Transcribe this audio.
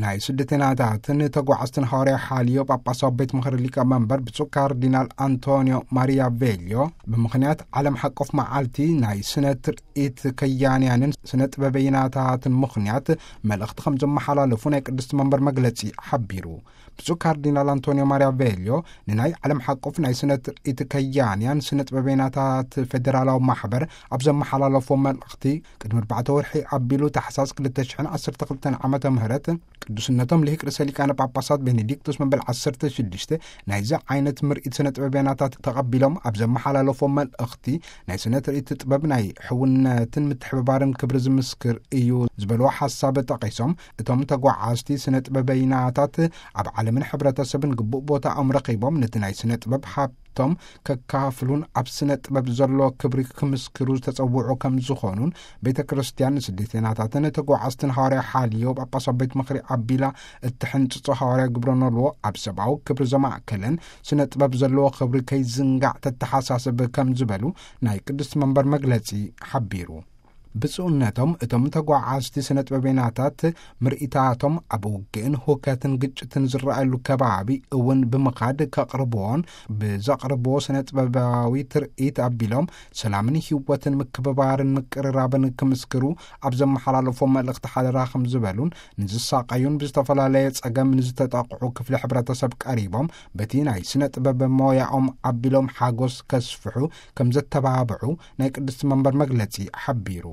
ናይ ስደተናታትን ተጓዓዝትን ሃዋርያ ሓልዮ ጳጳሳዊ ቤት ምኽሪ ሊቀ መንበር ብፁዕ ካርዲናል ኣንቶኒዮ ማሪያ ቬልዮ፣ ብምኽንያት ዓለም ሓቆፍ መዓልቲ ናይ ስነ ትርኢት ከያንያንን ስነ ጥበበይናታትን ምኽንያት፣ መልእኽቲ ከም ዘመሓላለፉ ናይ ቅድስቲ መንበር መግለጺ ሓቢሩ። ብፁዕ ካርዲናል ኣንቶኒዮ ማሪያ ቬልዮ፣ ንናይ ዓለም ሓቆፍ ናይ ስነ ትርኢት ከያንያን ስነ ጥበበይናታት ፌደራላዊ ማሕበር ኣብ ዘመሓላለፎ መልእኽቲ፣ ቅድሚ ኣርባዕተ ወርሒ ኣቢሉ፣ ታሕሳስ ክልተ ሽሕን ዓሰርተ ክልተን ዓመተ ምህረት፣ ቅዱስነቶም ልሂቅ ርእሰ ሊቃነ ጳጳሳት ቤኔዲክቶስ መበል ዓሰርተ ሽዱሽተ ናይዚ ዓይነት ምርኢት ስነ ጥበበያናታት ተቐቢሎም ኣብ ዘመሓላለፎ መልእኽቲ፣ ናይ ስነ ትርኢት ጥበብ ናይ ሕውነትን ምትሕብባርን ክብሪ ዝምስክር እዩ ዝበልዎ ሓሳብ ጠቒሶም፣ እቶም ተጓዓዝቲ ስነ ጥበበይናታት ኣብ ዓለምን ሕብረተሰብን ግቡእ ቦታኦም ረኺቦም፣ ነቲ ናይ ስነ ጥበብ ሃብቶም ከካፍሉን ኣብ ስነ ጥበብ ዘሎ ክብሪ ክምስክሩ ዝተጸውዑ ከም ዝኾኑን፣ ቤተ ክርስቲያን ንስደተናታትን ተጓዓዝትን ሃዋርያ ሓልዮ ጳጳሳዊ ቤት ምኽሪ ኣቢላ እትሕንጽጾ ሃዋርያ ግብረ ኖልዎ ኣብ ሰብኣዊ ክብሪ ዘማእከለን ስነ ጥበብ ዘለዎ ክብሪ ከይዝንጋዕ ተተሓሳስብ ከም ዝበሉ ናይ ቅድስቲ መንበር መግለጺ ሓቢሩ። ብፁዕነቶም እቶም ተጓዓዝቲ ስነ ጥበበይናታት ምርኢታቶም ኣብ ውግእን ሁከትን ግጭትን ዝረኣየሉ ከባቢ እውን ብምኻድ ከቕርብዎን፣ ብዘቕርብዎ ስነ ጥበባዊ ትርኢት ኣቢሎም ሰላምን ህይወትን ምክብባርን ምቅርራብን ክምስክሩ ኣብ ዘመሓላለፎ መልእኽቲ ሓደራ ከም ዝበሉን፣ ንዝሳቐዩን ብዝተፈላለየ ጸገም ንዝተጠቕዑ ክፍሊ ሕብረተሰብ ቀሪቦም በቲ ናይ ስነ ጥበብ ሞያኦም ኣቢሎም ሓጎስ ከስፍሑ ከም ዘተባብዑ ናይ ቅድስቲ መንበር መግለጺ ሓቢሩ።